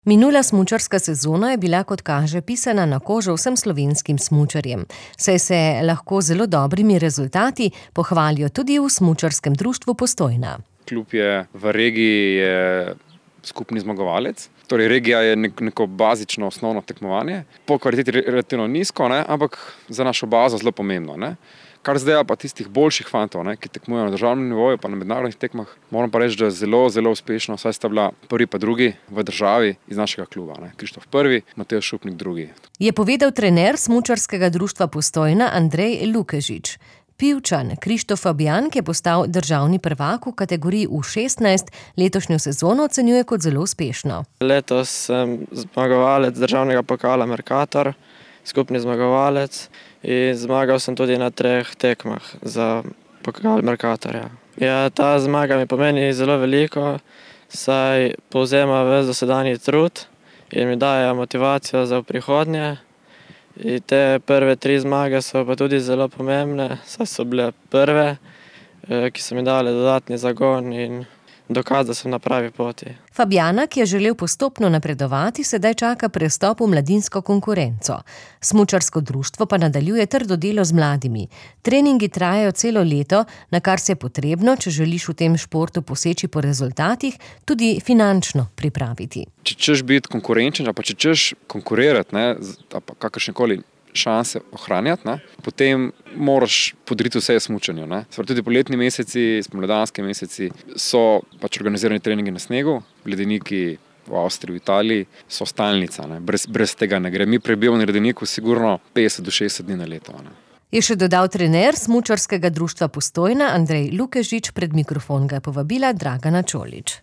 Minula smučarska sezona je bila, kot kaže, pisana na kožo vsem slovenskim smučarjem, saj se lahko z zelo dobrimi rezultati pohvalijo tudi v Smučarskem društvu Postojna. Klub je v regiji skupni zmagovalec. Torej, regija je neko bazično osnovno tekmovanje. Po kvaliteti relativno nizko, ampak za našo bazo zelo pomembno. Kar zdaj pa tistih boljših fantov, ki tekmujejo na državnem nivoju pa na mednarodnih tekmah, moram pa reči, da je zelo, zelo uspešno, saj sta bila prvi pa drugi v državi iz našega kluba. Krištof prvi, Matej Šupnik drugi. Je povedal trener Smučarskega društva Postojna Andrej Lukežič. Pivčan Krištof Fabjan, ki je postal državni prvak v kategoriji U16, letošnjo sezono ocenjuje kot zelo uspešno. Letos sem zmagovalec državnega pokala Mercator, skupni zmagovalec, in zmagal sem tudi na 3 tekmah za pokal Mercatorja. Ta zmaga mi pomeni zelo veliko, saj povzema ves dosedanji trud in mi daje motivacijo za prihodnje. In te prve 3 zmage so pa tudi zelo pomembne, saj so bile prve, ki so mi dale dodatni zagon in dokaz, da sem na pravi poti. Fabjana, ki je želel postopno napredovati, sedaj čaka prestop v mladinsko konkurenco. Smučarsko društvo pa nadaljuje trdo delo z mladimi. Treningi trajajo celo leto, na kar se je potrebno, če želiš v tem športu poseči po rezultatih, tudi finančno pripraviti. Če češ biti konkurenčen, pa če češ konkurirati, pa kakršnekoli šanse ohranjati, potem moraš podriti vse smučanju. Tudi poletni meseci, spomladanski meseci so organizirani treningi na snegu, ledeniki v Avstriji, v Italiji so stalnica. Brez tega ne gre. Mi prebivamo na ledeniku sigurno 50 do 60 dni na leto. Je še dodal trener Smučarskega društva Postojna Andrej Lukežič, pred mikrofon ga je povabila Dragana Čolić.